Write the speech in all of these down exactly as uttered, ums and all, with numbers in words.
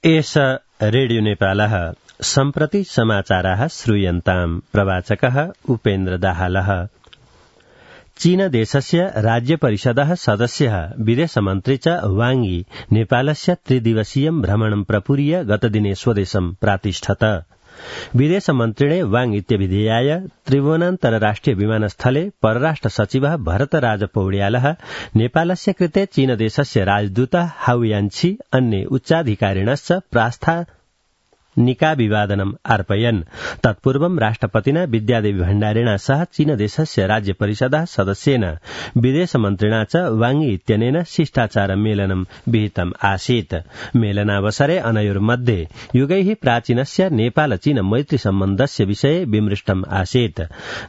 एष रेडियो नेपालः सम्प्रति समाचाराः श्रूयन्ताम्। प्रवाचकः उपेन्द्र दाहालः। चीन देशस्य राज्य परिषदः सदस्यः विदेशमन्त्री च वाङ यी नेपालस्य त्रिदिवसीयं भ्रमणं प्रपूर्य गतदिने स्वदेशं प्रातिष्ठत। विदेशमन्त्रिणे वाङ इत्यभिधेयाय त्रिभुवनान्तरराष्ट्रिय विमानस्थले परराष्ट्र सचिवः भरतराज पौड्यालः नेपालस्य कृते चीन देशस्य राजदूतः हाउ यान्छी अन्ये उच्चाधिकारिणश्च प्रास्थानिकाभिवादनम् अर्पयन्। तत्पूर्वं राष्ट्रपतिना विद्यादेवी भण्डारिणा सह चीन देशस्य राज्य परिषदः सदस्येन विदेशमन्त्रिणा च वाङ यी इत्यनेन शिष्टाचार मेलनं विहितम् आसीत्। मेलनावसरे अनयोर्मध्ये युगैः प्राचीनस्य नेपाल चीन मैत्री सम्बन्धस्य विषये विमृष्टम् आसीत्।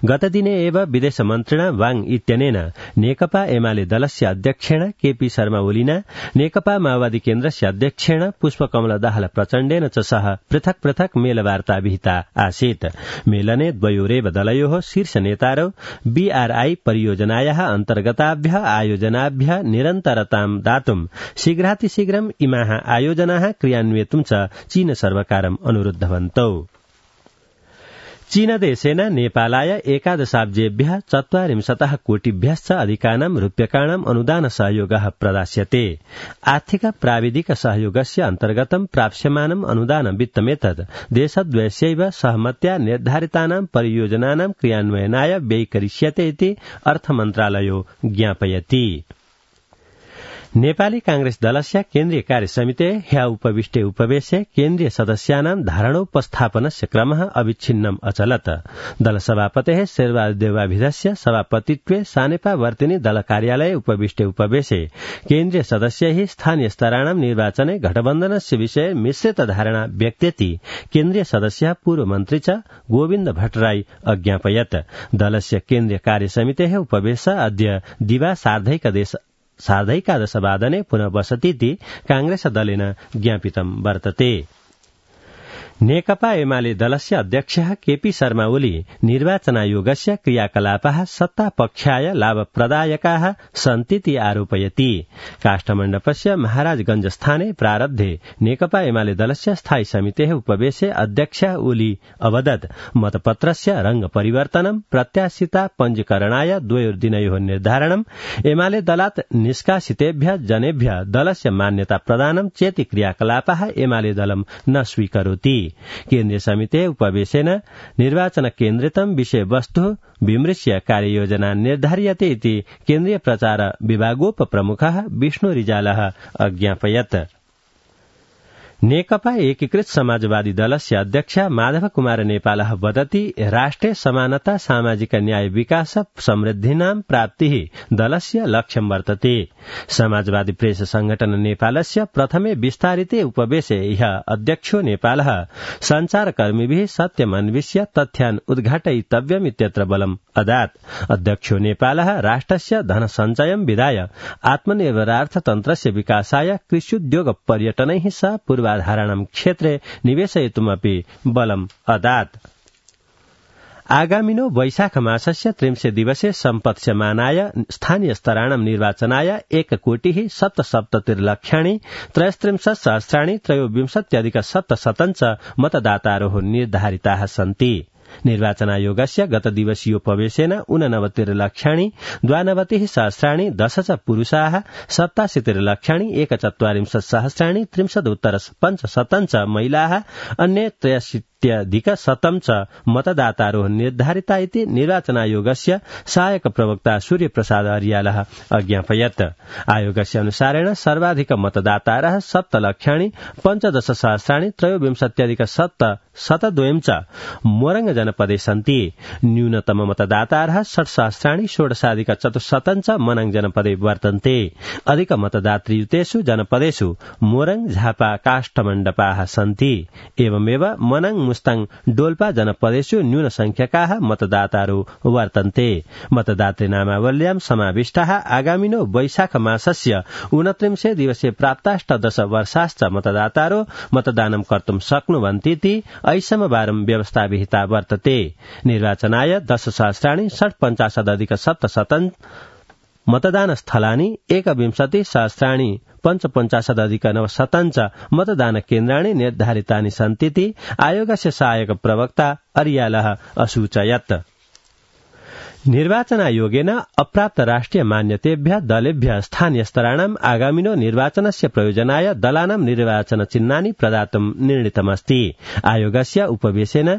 गतदिने एव विदेशमन्त्रिणा वाङ इत्यनेन नेकपा एमाले दलस्य अध्यक्षेण केपी शर्मा ओलीना नेकपा माओवादी केन्द्रस्य अध्यक्षेण पुष्पकमल दाहाल प्रचण्डेन च सह पृथक पृथक मेलवार्ता विहिता आसीत्। मेलने द्वयोरेव दलयोः शीर्ष नेतारौ बीआरआई परियोजनायाः अन्तर्गताभ्यः आयोजनाभ्यः निरन्तरतां दातुं शीघ्रातिशीघ्रम् इमाः आयोजनाः क्रियान्वेतुं च चीन सर्वकारम् अनुरुद्धवन्तौ। चीनदेशेन नेपालाय एकादशाब्जेभ्यः चत्वारिंशतः कोटिभ्यश्च अधिकानां रूप्यकाणाम् अनुदान सहयोगः प्रदास्यते। आर्थिक प्राविधिक सहयोगस्य अन्तर्गतं प्राप्स्यमानम् अनुदान वित्तमेतद् देशद्वयस्यैव सहमत्या निर्धारितानां परियोजनानां क्रियान्वयनाय व्ययीकरिष्यते इति अर्थमन्त्रालयो ज्ञापयति। नेपाली कांग्रेस दलस्य केन्द्रीय कार्यसमिते ह्य उपविष्टे उपवेशे केन्द्रीय सदस्यानां धारणोपस्थापनस्य क्रमः अविच्छिन्नम् अचलत्। दलसभापतेः शेरबहादुर सभापतित्वे सानेपा वर्तिनी दल कार्यालये उपविष्टे उपवेशे केन्द्रीय सदस्यैः स्थानीय स्तराणां निर्वाचने गठबन्धनस्य विषये मिश्रित धारणा व्यक्तेति केन्द्रीय सदस्यः पूर्वमन्त्री च गोविन्द भट्टराई अज्ञापयत्। दलस्य केन्द्रीय कार्यसमितेः उपवेशः अद्य दिवा सार्धैकदेश सार्धैकादशवादने पुनः बसतीति कांग्रेस दलेन ज्ञापितं वर्तते। नेकपा एमाले दलस्य अध्यक्षः केपी शर्मा ओली निर्वाचनायोगस्य क्रियाकलापाः सत्तापक्षाय लाभप्रदायकाः सन्तीति आरोपयति। काष्ठमण्डपस्य महाराजगंज स्थाने प्रारब्धे नेकपा एमाले दलस्य स्थायी समितेः उपवेशे अध्यक्षः ओली अवदत् मतपत्रस्य रंग परिवर्तनं प्रत्याशिता पञ्जीकरणाय द्वयोर्दिनयोः निर्धारणम् एमाले दलात् निष्कासितेभ्यः जनेभ्यः दलस्य मान्यता प्रदानं चेति क्रियाकलापाः एमाले दलं न स्वीकरोति। केन्द्रीय समिते उपवेशेन निर्वाचन केन्द्रितं विषय वस्तु विमृश्य कार्ययोजना निर्धार्यते इति केन्द्रीय प्रचार विभागोपप्रमुखः विष्णु रिजालः अज्ञापयत्। नेकपा एकीकृत समाजवादी दलस्य अध्यक्ष माधव कुमार नेपालः वदति राष्ट्रिय समानता सामाजिक न्याय विकास समृद्धिनां प्राप्तिः दलस्य लक्ष्यं वर्तते। समाजवादी प्रेस संगठन नेपालस्य प्रथमे विस्तारिते उपवेशे ह्यः अध्यक्षो नेपालः सञ्चारकर्मिभिः सत्यम् अन्विष्य तथ्यान् उद्घाटयितव्यम् इत्यत्र बलम् अदात्। अध्यक्षो नेपालः राष्ट्रस्य धन सञ्चयं विधाय आत्मनिर्भरार्थतन्त्रस्य विकासाय कृष्युद्योग पर्यटनैः सह पूर्वाधारणं क्षेत्रे निवेशयितुमपि बलम् अदात्। आगामिनो वैशाख मासस्य त्रिंशे दिवसे सम्पत्स्यमानाय स्थानीय स्तराणां निर्वाचनाय एक कोटिः सप्तसप्ततिर्लक्षाणि त्रयस्त्रिंशत् सहस्राणि त्रयोविंशत्यधिक सप्तशतञ्च मतदातारोः निर्धारिताः सन्ति। निर्वाचनायोगस्य गतदिवसीयोपवेशेन ऊननवतिर्लक्षाणि द्वानवतिः सहस्राणि दश च पुरुषाः सप्ताशीतिर्लक्षाणि एकचत्वारिंशत् सहस्राणि त्रिंशदुत्तर पञ्चशतञ्च महिलाः अन्ये त्रयाशीत्यधिक शतं च मतदातारोः निर्धारिता इति निर्वाचनायोगस्य सहायक प्रवक्ता सूर्यप्रसाद अर्यालः अज्ञापयत्। आयोगस्य अनुसारेण सर्वाधिक मतदातारः सप्तलक्षाणि पञ्चदश सहस्राणि त्रयोविंशत्यधिक सप्त शतद्वयं च मोरङ जनपदे सन्ति। न्यूनतम मतदातारः षट् सहस्राणि षोडशाधिक चतुश्शतं च मनाङ जनपदे वर्तन्ते। अधिक मतदातृयुतेषु जनपदेषु मोरङ झापा काष्ठमण्डपाः सन्ति। एवमेव मनाङ मुस्ताङ डोल्पा जनपदेषु न्यून संख्यकाः मतदातारो वर्तन्ते। मतदातृनामावल्यां समाविष्टाः आगामिनो वैशाख मासस्य ऊनत्रिंशे दिवसे प्राप्ताष्टदश वर्षाश्च मतदातारो मतदानं कर्तुं शक्नुवन्तीति ऐषमवारं व्यवस्था विहिता वर्तते। निर्वाचनाय दश सहस्राणि षट् पञ्चाशदधिक सप्तशतं मतदान स्थलानि एकविंशति सहस्राणि पञ्चपञ्चाशदधिक नवशतञ्च मतदान केन्द्राणि निर्धारितानि सन्तीति आयोगस्य सहायक प्रवक्ता अरियालः असूचयत्। निर्वाचनायोगेन अप्राप्त राष्ट्रिय मान्यतेभ्यः दलेभ्यः स्थानीय स्तराणाम् आगामिनो निर्वाचनस्य प्रयोजनाय दलानां निर्वाचन चिह्नानि प्रदातुं निर्णीतमस्ति। आयोगस्य उपवेशेन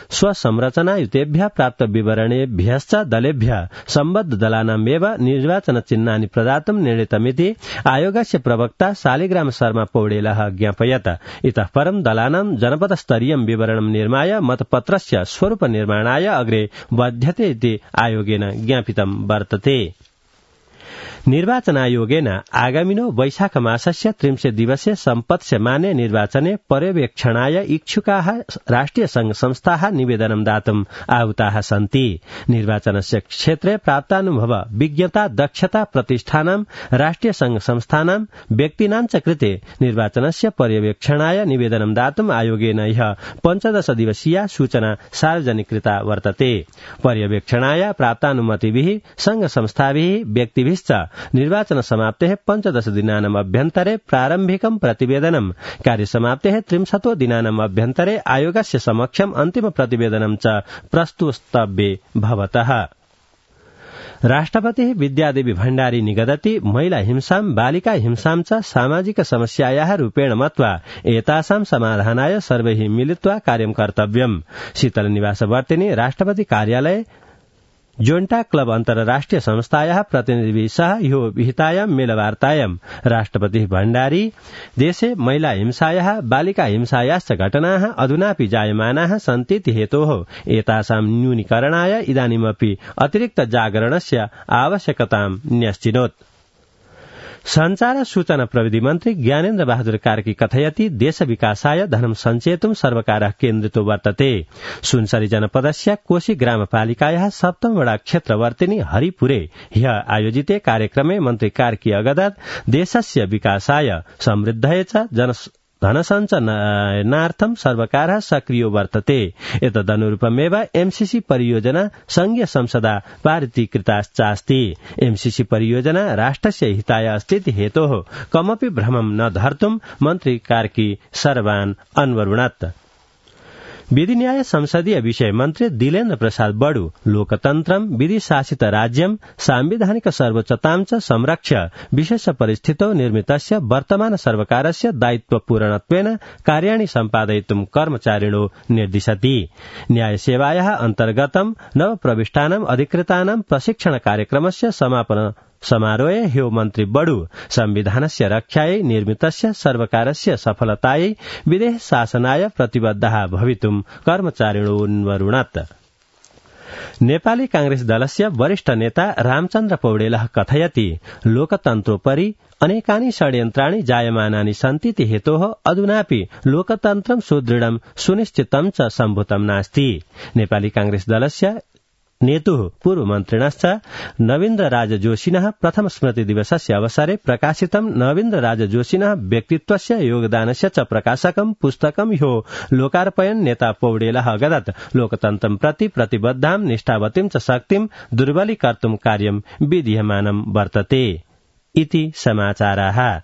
स्वसंरचनायुतेभ्यः प्राप्त विवरणेभ्यश्च दलेभ्यः सम्बद्ध दलानामेव निर्वाचन चिह्नानि प्रदातुं निर्णीतमिति आयोगस्य प्रवक्ता शालिग्राम शर्मा पौडेलः ज्ञापयत्। इतः परं दलानां जनपदस्तरीयं विवरणं निर्माय मतपत्रस्य स्वरूप निर्माणाय अग्रे बध्यते इति आयोगेन ज्ञापितं वर्तते। निर्वाचनायोगेन आगामिनो वैशाख मासस्य त्रिंशे दिवसे सम्पत्स्यमाने निर्वाचने पर्यवेक्षणाय इच्छुकाः राष्ट्रिय संघ संस्थाः निवेदनं दातुम् आहुताः सन्ति। निर्वाचनस्य क्षेत्रे प्राप्तानुभव विज्ञता दक्षता प्रतिष्ठानां राष्ट्रिय संघ संस्थानां व्यक्तीनां च कृते निर्वाचनस्य पर्यवेक्षणाय निवेदनं दातुम् आयोगेन ह्यः पञ्चदश दिवसीया सूचना सार्वजनिकृता वर्तते। पर्यवेक्षणाय प्राप्तानुमतिभिः संघ संस्थाभिः व्यक्तिभिश्च निर्वाचन समाप्तेः पञ्चदश दिनानाम् अभ्यन्तरे प्रारम्भिकं प्रतिवेदनं कार्यसमाप्तेः त्रिंशतो दिनानाम् अभ्यन्तरे आयोगस्य समक्षम् अन्तिम प्रतिवेदनं च प्रस्तुतव्ये भवतः। राष्ट्रपतिः विद्यादेवी भण्डारी निगदति महिला हिंसां बालिका हिंसां च सामाजिक समस्यायाः रूपेण मत्वा एतासां समाधानाय सर्वैः मिलित्वा कार्यं कर्तव्यम्। शीतल निवासवर्तिनी राष्ट्रपति कार्यालये जोन्टा क्लब अन्तर्राष्ट्रिय संस्थायाः प्रतिनिधिभिः सह ह्यो विहितायां मेलवार्तायां राष्ट्रपतिः भण्डारी देशे महिला हिंसायाः बालिका हिंसायाश्च घटनाः अधुनापि जायमानाः सन्तीति हेतोः एतासां न्यूनीकरणाय इदानीमपि अतिरिक्त जागरणस्य आवश्यकतां न्यश्चिनोत्। संचार सूचना प्रविधि मन्त्री ज्ञानेन्द्र बहादुर कार्की कथयति देश विकासाय धनं सञ्चेतुं सर्वकारः केन्द्रितो वर्तते। सुनसरी जनपदस्य कोशी ग्रामपालिकायाः सप्तम वडा क्षेत्रवर्तिनी हरिपुरे ह्यः आयोजिते कार्यक्रमे मन्त्री कार्की अगदत् देशस्य विकासाय समृद्धये च जन धनसञ्चयनार्थं सर्वकारः सक्रियो वर्तते। एतदनुरूपमेव एमसीसी परियोजना संघीय संसदा पारितीकृताश्चास्ति। एमसीसी परियोजना राष्ट्रस्य हिताय अस्तीति हेतोः कमपि भ्रमं न धर्तुं मन्त्री कार्की सर्वान् अन्वरुणत्। विधि न्याय संसदीय विषय मन्त्री दिलेन्द्र प्रसाद बडु लोकतन्त्रं विधि शासित राज्यं सांविधानिक सर्वोच्चतां च संरक्ष्य विशेष परिस्थितौ निर्मितस्य वर्तमान सर्वकारस्य दायित्वपूर्णत्वेन कार्याणि सम्पादयितुं कर्मचारिणो निर्दिशति। न्यायसेवायाः अन्तर्गतं नवप्रविष्टानाम् अधिकृतानां प्रशिक्षण कार्यक्रमस्य समापन समारोहे ह्यो मन्त्री बडु संविधानस्य रक्षायै निर्मितस्य सर्वकारस्य सफलतायै विदेश शासनाय प्रतिबद्धः भवितुं कर्मचारिणोन्वरुणत्। नेपाली कांग्रेस दलस्य वरिष्ठ नेता रामचन्द्र पौडेलः कथयति लोकतन्त्रोपरि अनेकानि षड्यन्त्राणि जायमानानि सन्तीति हेतोः अधुनापि लोकतन्त्रं सुदृढं सुनिश्चितं च सम्भूतं नास्ति। नेपाली कांग्रेस दलस्य नेतुः पूर्वमन्त्रिणश्च नवीन्द्र राज जोशिनः प्रथम स्मृति दिवसस्य अवसरे प्रकाशितं नवीन्द्र राज जोशिनः व्यक्तित्वस्य योगदानस्य च प्रकाशकं पुस्तकं ह्यो लोकार्पयन् नेता पौडेलः अगदत् लोकतन्त्रं प्रति प्रतिबद्धां निष्ठावतीं च शक्तिं दुर्बलीकर्तुं कार्यं विधीयमानं वर्तते इति समाचाराः।